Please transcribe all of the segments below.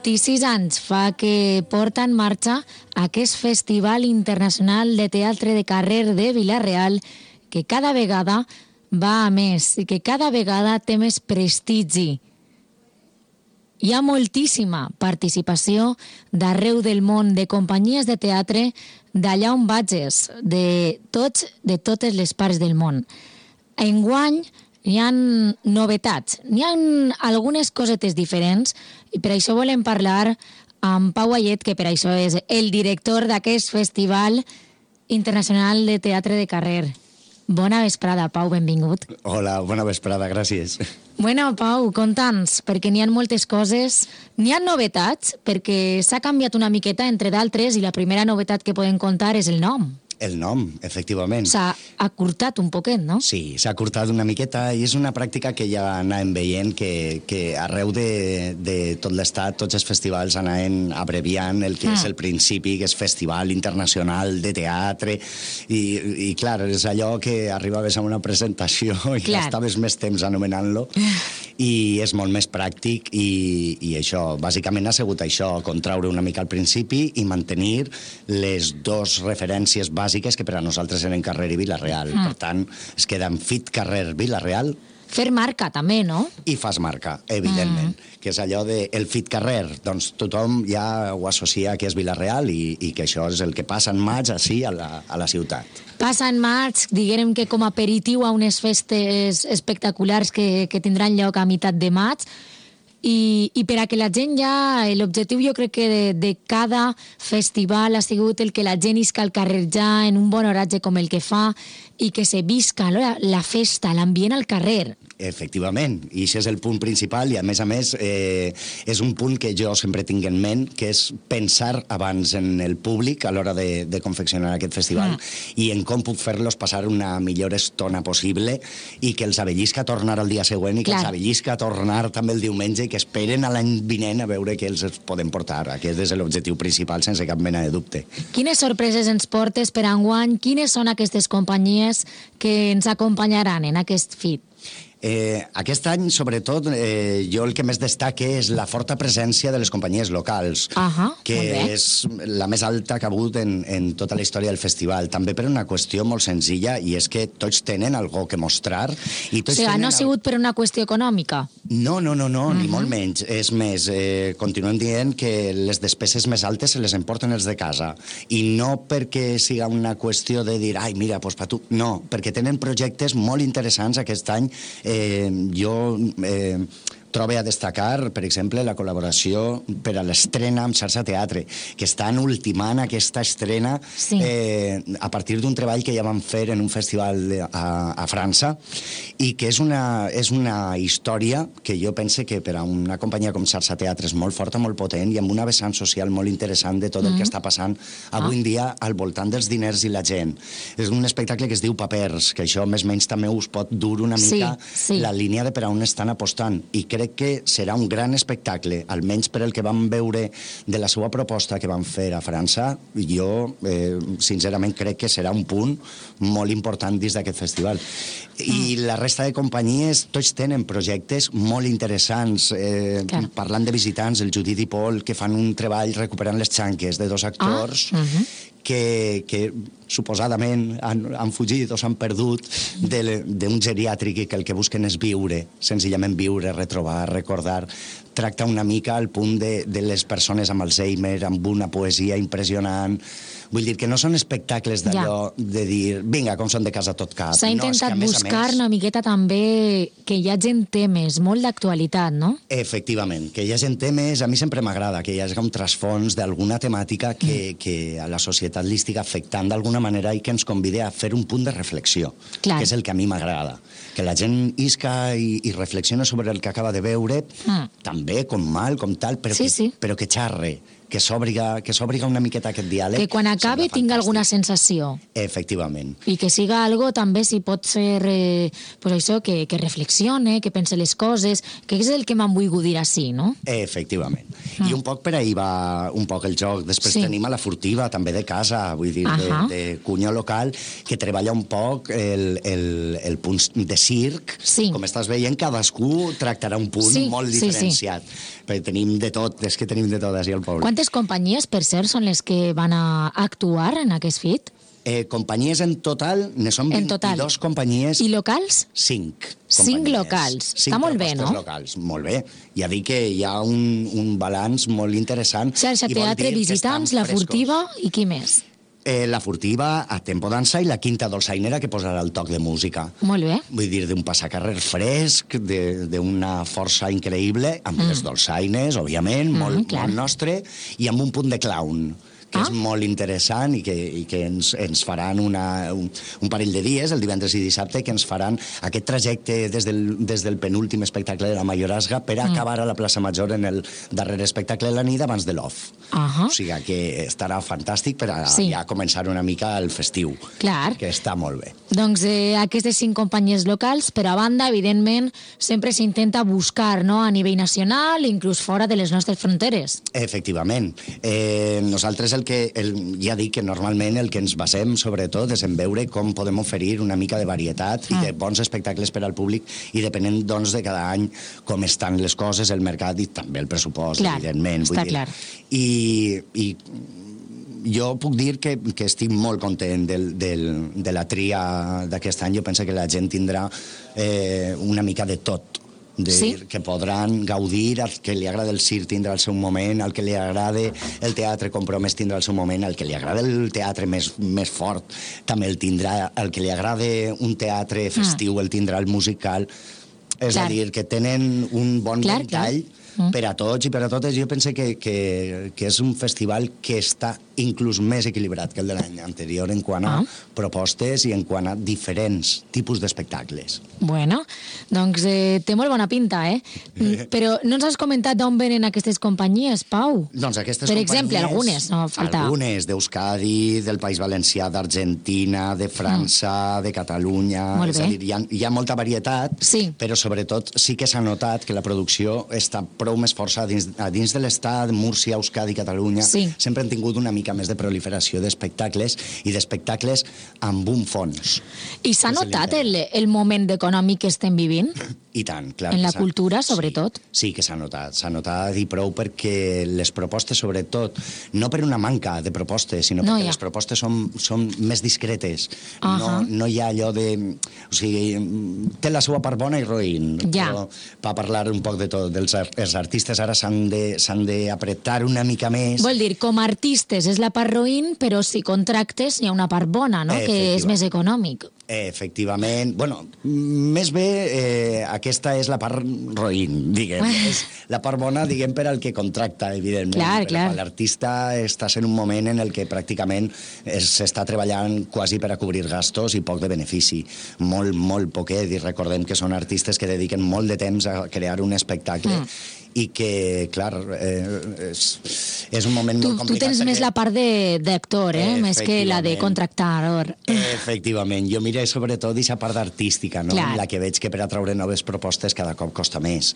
26 anys fa que porta en marxa aquest Festival Internacional de Teatre de Carrer de Vila-real, que cada vegada va a més i que cada vegada té més prestigi. Hi ha moltíssima participació d'arreu del món, de companyies de teatre d'allà on vagis, de totes les parts del món. Enguany hi ha novetats, hi ha algunes cosetes diferents i per això volem parlar amb Pau Ayet, que per això és el director d'aquest Festival Internacional de Teatre de Carrer. Bona vesprada, Pau, benvingut. Hola, bona vesprada, gràcies. Bueno, Pau, conta'ns, perquè n'hi ha moltes coses, n'hi ha novetats, perquè s'ha canviat una miqueta entre d'altres i la primera novetat que podem contar és el nom. El nom, efectivament. S'ha acurtat un poquet, no? Sí, s'ha acurtat una miqueta i és una pràctica que ja anàvem veient que arreu de tot l'estat, tots els festivals anaven abreviant el que és el principi, que és Festival Internacional de Teatre, i clar, és allò que arribaves a una presentació i ja estaves més temps anomenant-lo, i és molt més pràctic, i això, bàsicament ha sigut això, contraure una mica al principi i mantenir les dues referències bàsiques que per a nosaltres eren Carrer i Vila-real. Per tant, es queda en Fit Carrer Vila-real. Fer marca, també, no? I fas marca, evidentment. Que és allò de el Fit Carrer. Doncs tothom ja ho associa que és Vila-real i que això és el que passa en maig, així, a la ciutat. Passa en maig, diguem que com a aperitiu a unes festes espectaculars que tindran lloc a meitat de maig, i per a que la gent ja... L'objectiu jo crec que de cada festival ha sigut el que la gent isca al carrer ja en un bon horatge com el que fa i que se visca la festa, l'ambient al carrer. Efectivament, i això és el punt principal i a més és un punt que jo sempre tinc en ment, que és pensar abans en el públic a l'hora de confeccionar aquest festival i en com puc fer-los passar una millor estona possible i que els avellisca a tornar el dia següent i que els avellisca a tornar també el diumenge i que esperen a l'any vinent a veure què els podem portar. Aquest és l'objectiu principal, sense cap mena de dubte. Quines sorpreses ens portes per enguany? Quines són aquestes companyies que ens acompanyaran en aquest FIT? Aquest any, sobretot, jo el que més destaque és la forta presència de les companyies locals, que és la més alta que ha hagut en tota la història del festival. També per una qüestió molt senzilla, i és que tots tenen algo que mostrar. O sigui, no ha sigut per una qüestió econòmica? No, ni molt menys. És més, continuem dient que les despeses més altes se les emporten els de casa. I no perquè siga una qüestió de dir, ai, mira, doncs per tu. No, perquè tenen projectes molt interessants aquest any. Jo trobo a destacar, per exemple, la col·laboració per a l'estrena amb Xarxa Teatre, que estan ultimant aquesta estrena a partir d'un treball que ja van fer en un festival a França i que és una història que jo pense que per a una companyia com Xarxa Teatre és molt forta, molt potent i amb una vessant social molt interessant de tot el que està passant avui en dia al voltant dels diners i la gent. És un espectacle que es diu Papers, que això més o menys també us pot dur una mica la línia de per a on estan apostant, i crec que serà un gran espectacle, almenys per el que vam veure de la seva proposta que van fer a França. Jo, sincerament, crec que serà un punt molt important dins d'aquest festival. I la resta de companyies, tots tenen projectes molt interessants. Parlant de visitants, el Judit i Pol, que fan un treball recuperant les xanques de dos actors que suposadament han fugit o s'han perdut d'un geriàtric i que el que busquen és viure, senzillament viure, retrobar, recordar. Tracta una mica al punt de les persones amb Alzheimer, amb una poesia impressionant. Vull dir que no són espectacles d'allò de dir, vinga, com són de casa tot cap. S'ha intentat buscar una miqueta també que hi hagi temes molt d'actualitat, no? Efectivament, que hi hagi temes, a mi sempre m'agrada que hi hagi un trasfons d'alguna temàtica que a la societat li estigui afectant d'alguna manera i que ens convide a fer un punt de reflexió, que és el que a mi m'agrada. Que la gent isca i reflexiona sobre el que acaba de veure, també com mal, com tal, però que xarre, que s'obriga una miqueta aquest diàleg. Que quan acabe tinga alguna sensació. Efectivament. I que siga algo també, si pot ser, pues això, que reflexione, que pense les coses, que és el que m'han volgut dir així, no? Efectivament. I un poc per ahir va un poc el joc. Després tenim a la furtiva, també de casa, vull dir, de cunyó local, que treballa un poc el punt de circ. Sí. Com estàs veient, cadascú tractarà un punt molt diferenciat. Perquè tenim de tot, és que tenim de tot així al poble. Quantes companyies, per cert, són les que van a actuar en aquest FIT? Companyies en total, ne són 22 companyies. I locals? 5. 5 locals. Està molt bé, no? 5 locals, molt bé. Ja dic que hi ha un balanç molt interessant. Xarxa Teatre, Visitants, La Furtiva i qui més? La Furtiva, a Tempo Dansa i la Quinta Dolçainera, que posarà el toc de música. Molt bé. Vull dir, d'un passacarrer fresc, d'una força increïble, amb les dolçaines, òbviament, molt nostre, i amb un punt de clown, que és molt interessant i que ens faran un parell de dies, el divendres i dissabte, que ens faran aquest trajecte des del penúltim espectacle de la Mayorazga per acabar a la plaça Major en el darrer espectacle de la nit abans de l'off. O sigui que estarà fantàstic per ja començar una mica el festiu. Clar. Que està molt bé. Doncs aquestes 5 companyies locals, per a banda, evidentment, sempre s'intenta buscar, no?, a nivell nacional, inclús fora de les nostres fronteres. Efectivament. Nosaltres ja dic que normalment el que ens basem, sobretot, és en veure com podem oferir una mica de varietat i de bons espectacles per al públic, i depenent, doncs, de cada any com estan les coses, el mercat i també el pressupost, evidentment. Està clar. I jo puc dir que estic molt content de la tria d'aquest any. Jo penso que la gent tindrà una mica de tot. Que podran gaudir, al que li agrada el circ tindrà el seu moment, al que li agrada el teatre compromès tindrà el seu moment, al que li agrada el teatre més fort també el tindrà, al que li agrada un teatre festiu el tindrà el musical. És a dir, que tenen un bon ventall per a tots i per a totes. Jo penso que és un festival que està inclús més equilibrat que el de l'any anterior en quant a propostes i en quant a diferents tipus d'espectacles. Bueno, doncs té molt bona pinta, Però no ens has comentat d'on venen aquestes companyies, Pau? Doncs aquestes companyies... Per exemple, algunes, no falta... Algunes, d'Euskadi, del País Valencià, d'Argentina, de França, de Catalunya... Molt bé. És a dir, hi ha molta varietat, però sobretot sí que s'ha notat que la producció està prou més força a dins de l'Estat, Múrcia, Euskadi, Catalunya. Sempre han tingut una mica més de proliferació d'espectacles i d'espectacles amb un fons. I s'ha notat el moment econòmic que estem vivint? I tant, clar. En la cultura, sobretot? Sí que s'ha notat i prou, perquè les propostes, sobretot, no per una manca de propostes, sinó perquè les propostes són més discretes. No hi ha allò de... O sigui, té la seva part bona i roïn. Però per parlar un poc de tot, els artistes ara s'han d'apretar una mica més. Vol dir, com a artistes és la part roïn, però si contractes hi ha una part bona, no?, que és més econòmic. Efectivament. Bueno, més bé, aquesta és la part roïn, diguem. És la part bona, diguem, per al que contracta, evidentment. Clar. L'artista està en un moment en el que pràcticament s'està treballant quasi per a cobrir gastos i poc de benefici. Molt, molt poquet. I recordem que són artistes que dediquen molt de temps a crear un espectacle i que, clar, és un moment molt complicat. Tu tens més la part d'actor, més que la de contractador. Efectivament. Jo miro sobretot aquesta part artística, no? La que veig que per atraure noves propostes cada cop costa més.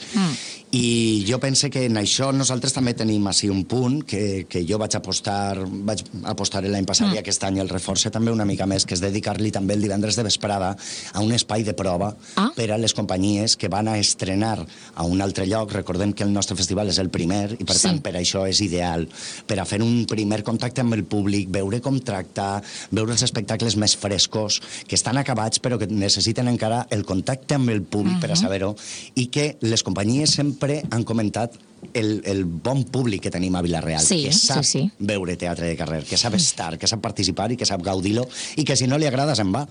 I jo penso que en això nosaltres també tenim així un punt que jo vaig apostar l'any passat i aquest any el reforça també una mica més, que és dedicar-li també el divendres de vesprada a un espai de prova per a les companyies que van a estrenar a un altre lloc. Recordem que el nostre festival és el primer i per tant per això és ideal, per a fer un primer contacte amb el públic, veure com tracta, veure els espectacles més frescos, que estan acabats però que necessiten encara el contacte amb el públic per a saber-ho, i que les companyies sempre han comentat el bon públic que tenim a Vila-real, que sap veure teatre de carrer, que sap estar, que sap participar i que sap gaudir-lo, i que si no li agrada se'n va.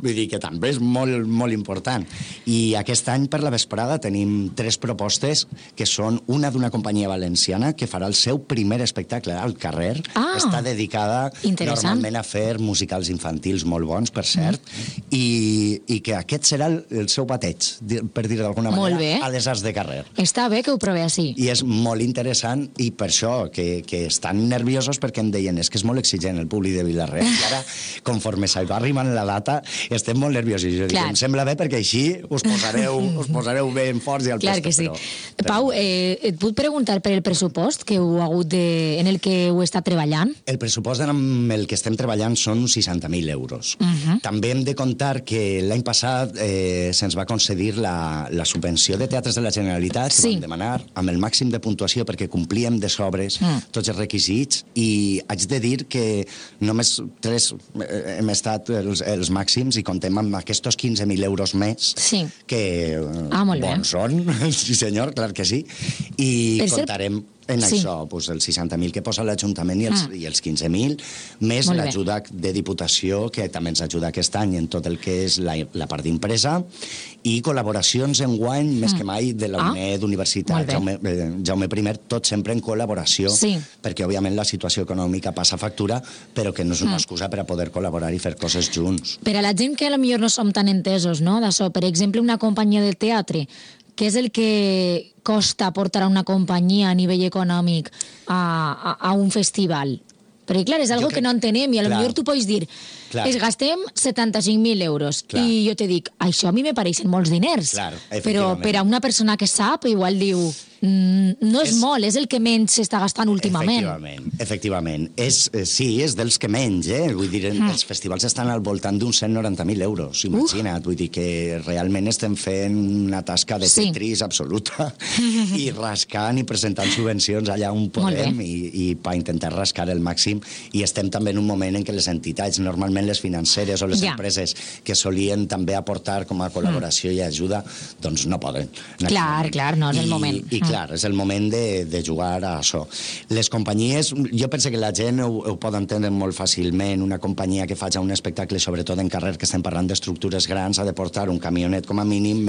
Vull dir que també és molt, molt important. I aquest any per la vesprada tenim 3 propostes que són una d'una companyia valenciana que farà el seu primer espectacle al carrer. Està dedicada normalment a fer musicals infantils molt bons, per cert, i que aquest serà el seu bateig, per dir d'alguna manera, a les arts de carrer. Està bé que ho provi així. I és molt interessant, i per això que estan nerviosos, perquè em deien és que és molt exigent el públic de Vila-real, i ara, conforme s'ha arribant la data, estem molt nerviosos. Jo dic, em sembla bé, perquè així us posareu ben forts i al Clar puesto. que sí. Però... Pau, et puc preguntar per el pressupost que heu hagut en el que heu estat treballant? El pressupost amb el que estem treballant són 60.000 euros. També hem de contar que l'any passat se'ns va concedir la subvenció de teatres de la Generalitat, que vam demanar amb el màxim de puntuació perquè complíem de sobres tots els requisits, i haig de dir que només 3 hem estat els màxims, i contem amb aquests 15.000 euros més, que bons són, sí senyor, clar que sí, i contarem en això, els 60.000 que posa l'Ajuntament i els 15.000, més l'ajuda de Diputació, que també ens ajuda aquest any en tot el que és la part d'impresa, i col·laboracions enguany, més que mai, de la UNED, Universitat Jaume I, tot sempre en col·laboració, perquè, òbviament, la situació econòmica passa factura, però que no és una excusa per a poder col·laborar i fer coses junts. Per a la gent que potser no som tan entesos, no, d'això, per exemple, una companyia de teatre, què és el que costa portar a una companyia a nivell econòmic a un festival? Perquè, clar, és algo que no entenem, i potser tu pots dir, es gastem 75.000 euros, i jo te dic, això a mi me pareixen molts diners, però per a una persona que sap, igual diu, no és molt, és el que menys s'està gastant últimament. Efectivament. Sí, és dels que menys, vull dir, els festivals estan al voltant d'uns 190.000 euros, imagina't, vull dir que realment estem fent una tasca de Tetris absoluta, i rascant i presentant subvencions allà on podem, i per intentar rascar el màxim, i estem també en un moment en què les entitats, normalment les financeres o les empreses que solien també aportar com a col·laboració i ajuda, doncs no poden. Clar, no és el moment. I clar, és el moment de jugar a això. Les companyies, jo penso que la gent ho pot entendre molt fàcilment. Una companyia que faci un espectacle, sobretot en carrer, que estem parlant d'estructures grans, ha de portar un camionet com a mínim,